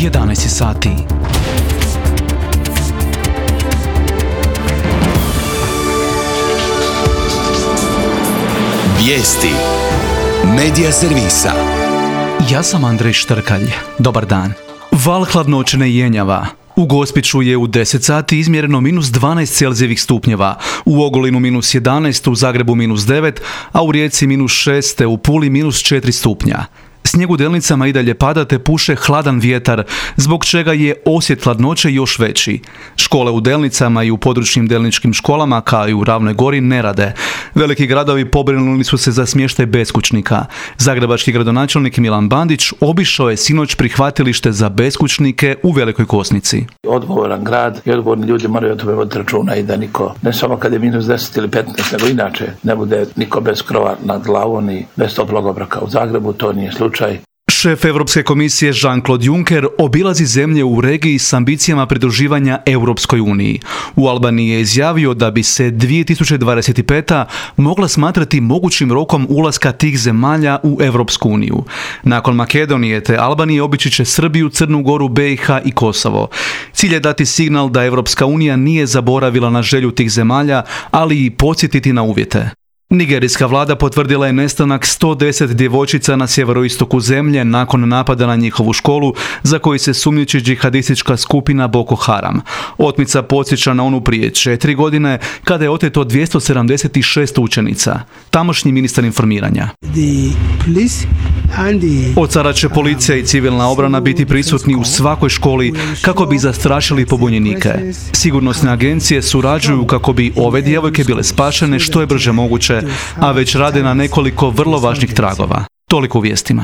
11 sati. Vijesti Medija servisa. Ja sam Andrej Štrkalj. Dobar dan. Val hladnoće ne jenjava. U Gospiću je u 10 sati izmjereno minus 12 Celzijevih stupnjeva, u Ogulinu minus 11, u Zagrebu minus 9, a u Rijeci minus 6, te u Puli minus 4 stupnja. Snijeg u Delnicama i dalje pada te puše hladan vjetar, zbog čega je osjet hladnoće još veći. Škole u Delnicama i u područnim delničkim školama, kao i u Ravnoj Gori, ne rade. Veliki gradovi pobrinuli su se za smještaj beskućnika. Zagrebački gradonačelnik Milan Bandić obišao je sinoć prihvatilište za beskućnike u Velikoj Kosnici. Odgovoran grad i odgovorni ljudi moraju o tome voditi računa i da niko, ne samo kad je minus 10 ili 15, nego inače ne bude niko bez krova nad glavom i bez toplog obroka. U Zagrebu to nije slučaj. Šef Europske komisije Jean-Claude Juncker obilazi zemlje u regiji s ambicijama pridruživanja Europskoj uniji. U Albaniji je izjavio da bi se 2025. mogla smatrati mogućim rokom ulaska tih zemalja u Europsku uniju. Nakon Makedonije te Albanije obići će Srbiju, Crnu Goru, BiH i Kosovo. Cilj je dati signal da Europska unija nije zaboravila na želju tih zemalja, ali i podsjetiti na uvjete. Nigerijska vlada potvrdila je nestanak 110 djevojčica na sjeveroistoku zemlje nakon napada na njihovu školu za koji se sumnjiči džihadistička skupina Boko Haram. Otmica podsjeća na onu prije 4 godine kada je oteto 276 učenica. Tamošnji ministar informiranja. Od sada će policija i civilna obrana biti prisutni u svakoj školi kako bi zastrašili pobunjenike. Sigurnosne agencije surađuju kako bi ove djevojke bile spašene što je brže moguće, a već rade na nekoliko vrlo važnih tragova. Toliko u vijestima.